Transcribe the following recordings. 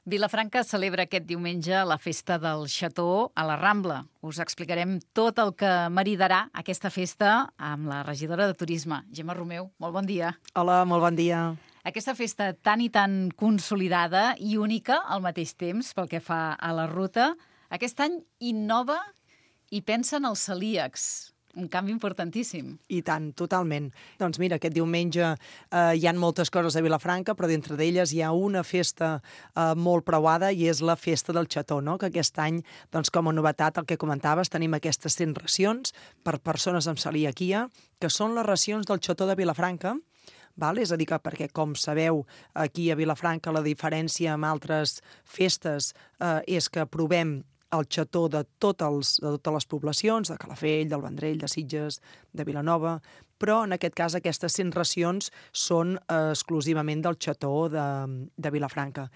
Vilafranca celebra aquest diumenge la festa del Xató a la Rambla. Us explicarem tot el que maridarà aquesta festa amb la regidora de Turisme, Gemma Romeu. Molt bon dia. Hola, molt bon dia. Aquesta festa tan i tan consolidada i única al mateix temps pel que fa a la ruta, aquest any innova i pensa en els celíacs. Un canvi importantíssim. I tant, totalment. Doncs mira, aquest diumenge hi ha moltes coses a Vilafranca, però dintre d'elles hi ha una festa molt preuada i és la festa del Xató, no? Que aquest any, doncs, com a novetat, el que comentaves, tenim aquestes 100 racions per persones amb celiaquia, que són les racions del Xató de Vilafranca. Val? És a dir, que perquè, com sabeu, aquí a Vilafranca la diferència amb altres festes és que provem el xató de totes les poblacions, de Calafell, del Vendrell, de Sitges, de Vilanova, però en aquest cas aquestes 100 racions són exclusivament del xató de Vilafranca.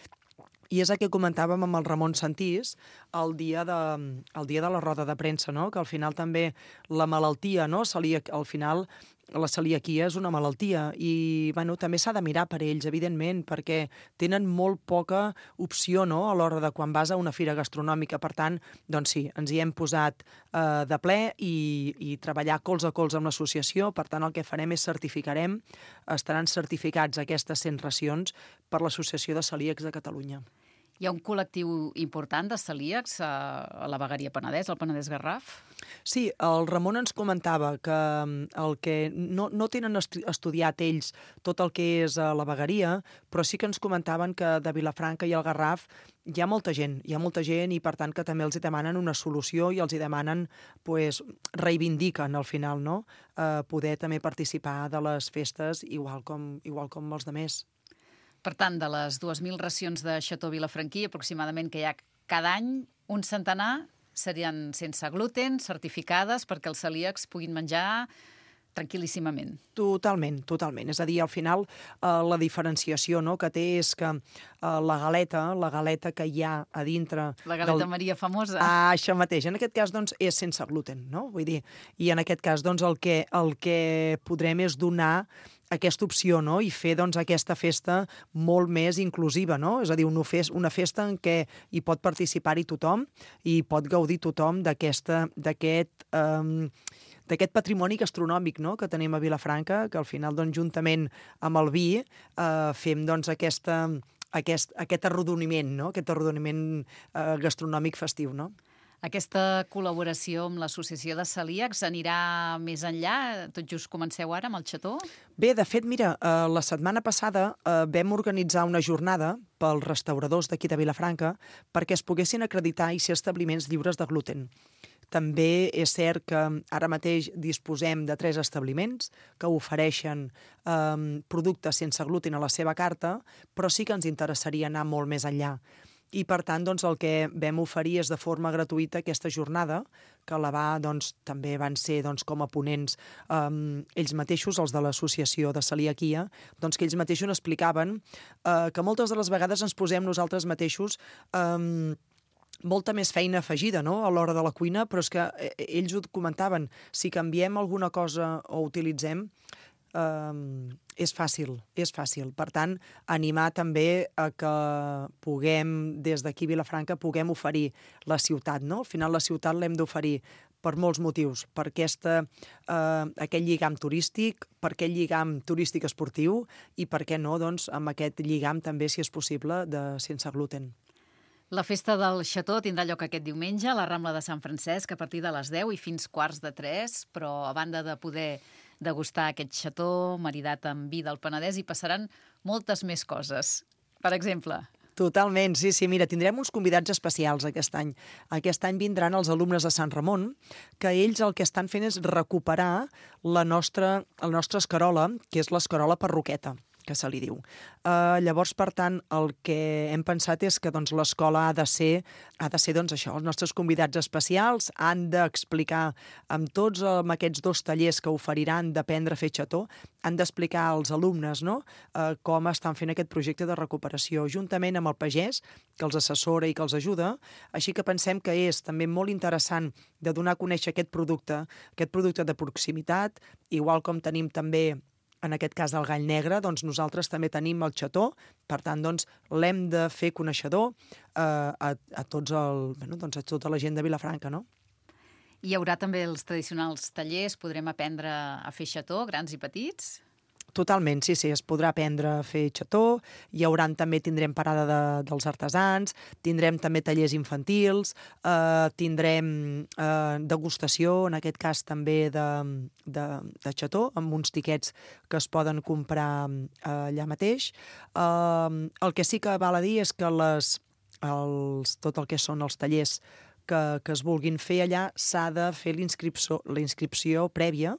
I és el que comentàvem amb el Ramon Santís el dia de la roda de premsa, no? Que al final també la malaltia, no? Al final la celiaquia és una malaltia i bueno, també s'ha de mirar per ells, evidentment, perquè tenen molt poca opció, no? A l'hora de quan vas a una fira gastronòmica. Per tant, doncs sí, ens hi hem posat de ple i treballar colze a colze amb l'associació. Per tant, el que farem és estaran certificats aquestes 100 racions per l'Associació de Celíacs de Catalunya. Hi ha un col·lectiu important de celíacs a la vegueria Penedès, al Penedès Garraf? Sí, el Ramon ens comentava que el que no tenen estudiat ells tot el que és la vegueria, però sí que ens comentaven que de Vilafranca i el Garraf hi ha molta gent i per tant que també els demanen una solució i els demanen, pues, reivindiquen al final, no? Poder també participar de les festes igual com els demés. Per tant, de les 2.000 racions de xató vilafranquí, aproximadament que hi ha cada any, un centenar serien sense gluten, certificades, perquè els celíacs puguin menjar tranquil·líssimament. Totalment. És a dir, al final, la diferenciació, no?, que té és que la galeta que hi ha a dintre... La galeta Maria famosa. Això mateix. En aquest cas, doncs, és sense gluten, no? Vull dir, i en aquest cas, doncs, el que podrem és donar aquesta opció, no?, i fer, doncs, aquesta festa molt més inclusiva, no? És a dir, una festa en què hi pot participar-hi tothom i pot gaudir tothom d'aquest patrimoni gastronòmic, no?, que tenim a Vilafranca, que al final, doncs, juntament amb el vi, fem, doncs, aquest arrodoniment, no?, aquest arrodoniment gastronòmic festiu, no? Aquesta col·laboració amb l'Associació de Celíacs anirà més enllà? Tot just comenceu ara amb el xató? Bé, de fet, mira, la setmana passada vam organitzar una jornada pels restauradors d'aquí de Vilafranca perquè es poguessin acreditar i ser establiments lliures de gluten. També és cert que ara mateix disposem de 3 establiments que ofereixen productes sense gluten a la seva carta, però sí que ens interessaria anar molt més enllà. I, per tant, doncs, el que vam oferir és de forma gratuïta aquesta jornada, que també van ser com a ponents ells mateixos, els de l'Associació de Celiaquia, doncs que ells mateixos explicaven que moltes de les vegades ens posem nosaltres mateixos molta més feina afegida, no?, a l'hora de la cuina, però és que ells ho comentaven, si canviem alguna cosa o utilitzem, és fàcil. Per tant, animar també a que puguem, des d'aquí a Vilafranca, puguem oferir la ciutat, no? Al final la ciutat l'hem d'oferir per molts motius, per aquest lligam turístic, per aquest lligam turístic esportiu i, per què no, doncs, amb aquest lligam també, si és possible, sense gluten. La festa del xató tindrà lloc aquest diumenge a la Rambla de Sant Francesc a partir de les 10 i fins 2:45, però a banda de poder degustar aquest xató maridat amb vi del Penedès hi passaran moltes més coses. Per exemple... Totalment, sí. Mira, tindrem uns convidats especials aquest any. Aquest any vindran els alumnes de Sant Ramon, que ells el que estan fent és recuperar la nostra escarola, que és l'escarola perroqueta, que se li diu. Llavors, per tant, el que hem pensat és que doncs, l'escola ha de ser doncs, això, els nostres convidats especials han d'explicar amb aquests 2 tallers que oferiran d'aprendre a fer xató, han d'explicar als alumnes, no?, com estan fent aquest projecte de recuperació, juntament amb el pagès, que els assessora i que els ajuda. Així que pensem que és també molt interessant de donar a conèixer aquest producte de proximitat, igual com tenim també en aquest cas del gall negre, doncs nosaltres també tenim el xató, per tant, doncs, l'hem de fer coneixedor a tota la gent de Vilafranca, no? Hi haurà també els tradicionals tallers, podrem aprendre a fer xató, grans i petits? Totalment, sí, es podrà aprendre a fer xató, tindrem parada dels artesans, tindrem també tallers infantils, tindrem degustació, en aquest cas també de xató, amb uns tiquets que es poden comprar allà mateix. El que sí que val a dir és que tot el que són els tallers que es vulguin fer allà s'ha de fer la inscripció prèvia.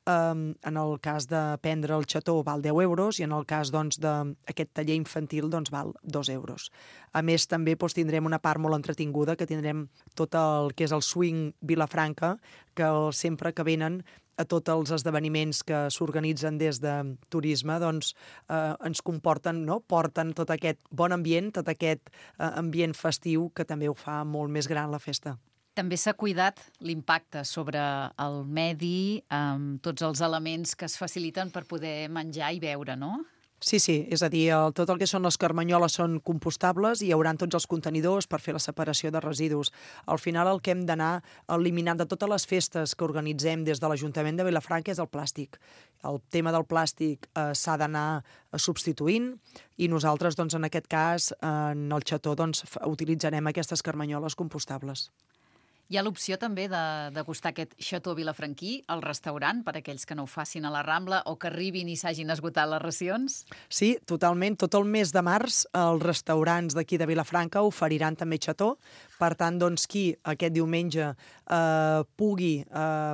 En el cas d'aprendre el xató val 10 euros i en el cas d'aquest taller infantil val 2 euros. A més, també tindrem una part molt entretinguda, que tindrem tot el que és el swing Vilafranca, que sempre que venen a tots els esdeveniments que s'organitzen des de turisme, ens comporten, no? Porten tot aquest bon ambient, tot aquest ambient festiu que també ho fa molt més gran la festa. També s'ha cuidat l'impacte sobre el medi amb tots els elements que es faciliten per poder menjar i beure, no? Sí, és a dir, tot el que són les carmanyoles són compostables i hi haurà tots els contenidors per fer la separació de residus. Al final el que hem d'anar eliminant de totes les festes que organitzem des de l'Ajuntament de Vilafranca és el plàstic. El tema del plàstic s'ha d'anar substituint i nosaltres, en aquest cas, en el xató, utilitzarem aquestes carmanyoles compostables. Hi ha l'opció també de degustar aquest xató vilafranquí al restaurant per a aquells que no ho facin a la Rambla o que arribin i s'hagin esgotat les racions? Sí, totalment. Tot el mes de març els restaurants d'aquí de Vilafranca oferiran també xató. Per tant, qui aquest diumenge pugui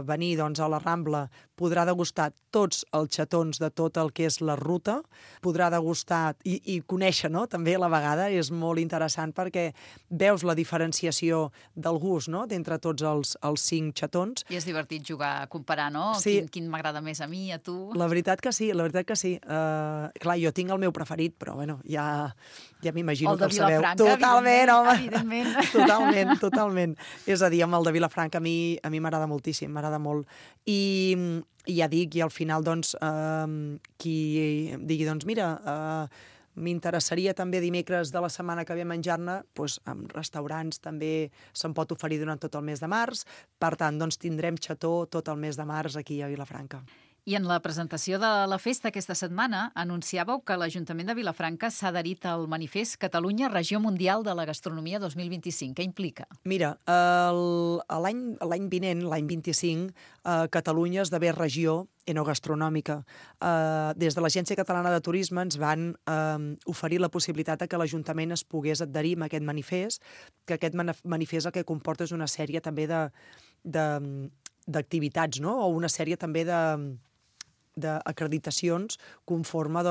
venir a la Rambla podrà degustar tots els xatons de tot el que és la ruta, podrà degustar i conèixer, no?, també a la vegada. És molt interessant perquè veus la diferenciació del gust, no?, d'entre tots els 5 xatons. I és divertit jugar a comparar, no? Sí. Quin m'agrada més a mi, a tu? La veritat que sí. Clar, jo tinc el meu preferit, però bueno, ja m'imagino que el sabeu. El de Vilafranca, totalment, home. Evidentment. Totalment. És a dir, amb el de Vilafranca a mi m'agrada moltíssim, m'agrada molt. I ja dic, i al final, qui digui, mira, m'interessaria també dimecres de la setmana que ve menjar-ne, en restaurants també se'n pot oferir durant tot el mes de març. Per tant, tindrem xató tot el mes de març aquí a Vilafranca. I en la presentació de la festa aquesta setmana anunciàveu que l'Ajuntament de Vilafranca s'ha adherit al manifest Catalunya Regió Mundial de la Gastronomia 2025. Què implica? Mira, l'any vinent, l'any 25, Catalunya esdevé regió enogastronòmica. Des de l'Agència Catalana de Turisme ens van oferir la possibilitat que l'Ajuntament es pogués adherir a aquest manifest, que aquest manifest el que comporta és una sèrie també d'activitats, no?, o una sèrie també d'acreditacions conforme,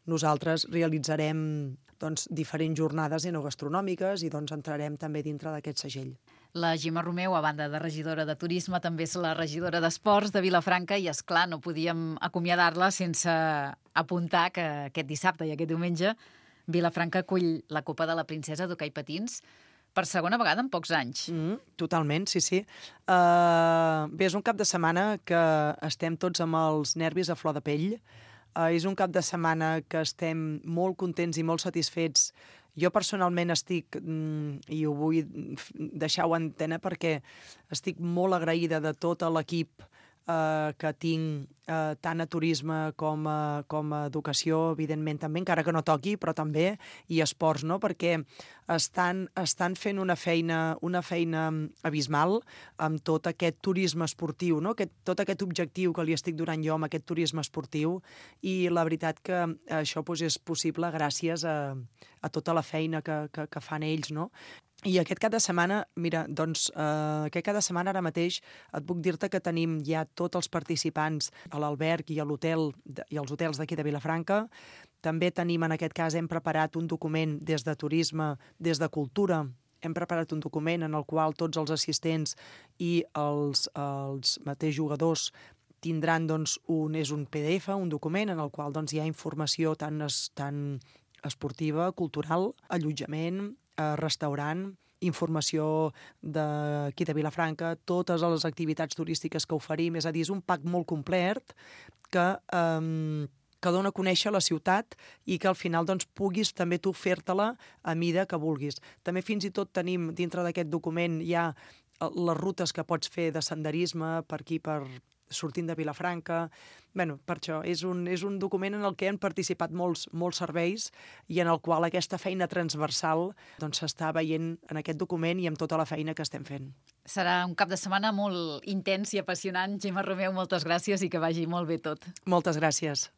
nosaltres realitzarem diferents jornades enogastronòmiques i entrarem també dintre d'aquest segell. La Gemma Romeu, a banda de regidora de Turisme, també és la regidora d'Esports de Vilafranca i, és clar, no podíem acomiadar-la sense apuntar que aquest dissabte i aquest diumenge Vilafranca acull la Copa de la Princesa d'Hoquei Patins per segona vegada en pocs anys. Totalment, sí. Bé, és un cap de setmana que estem tots amb els nervis a flor de pell. És un cap de setmana que estem molt contents i molt satisfets. Jo personalment estic, i ho vull deixar-ho en antena perquè estic molt agraïda de tot l'equip que tinc tant a turisme com a educació, evidentment també, encara que no toqui, però també, i esports, no?, perquè estan fent una feina abismal amb tot aquest turisme esportiu, no?, tot aquest objectiu que li estic donant jo amb aquest turisme esportiu, i la veritat que això és possible gràcies a tota la feina que fan ells, no? I aquest cap de setmana, mira, aquest cap de setmana ara mateix et puc dir-te que tenim ja tots els participants a l'alberg i a l'hotel i als hotels d'aquí de Vilafranca. També tenim, en aquest cas, hem preparat un document des de turisme, des de cultura, hem preparat un document en el qual tots els assistents i els mateixos jugadors tindran un PDF, un document en el qual hi ha informació tant esportiva, cultural, allotjament, restaurant, informació d'aquí de Vilafranca, totes les activitats turístiques que oferim, és a dir, és un pack molt complet que dona a conèixer la ciutat i que al final doncs, puguis també tu fer-te-la a mida que vulguis. També fins i tot tenim dintre d'aquest document ja les rutes que pots fer de senderisme per aquí, sortint de Vilafranca. Bé, per això, és un document en el que han participat molts serveis i en el qual aquesta feina transversal s'està veient en aquest document i amb tota la feina que estem fent. Serà un cap de setmana molt intens i apassionant. Gemma Romeu, moltes gràcies i que vagi molt bé tot. Moltes gràcies.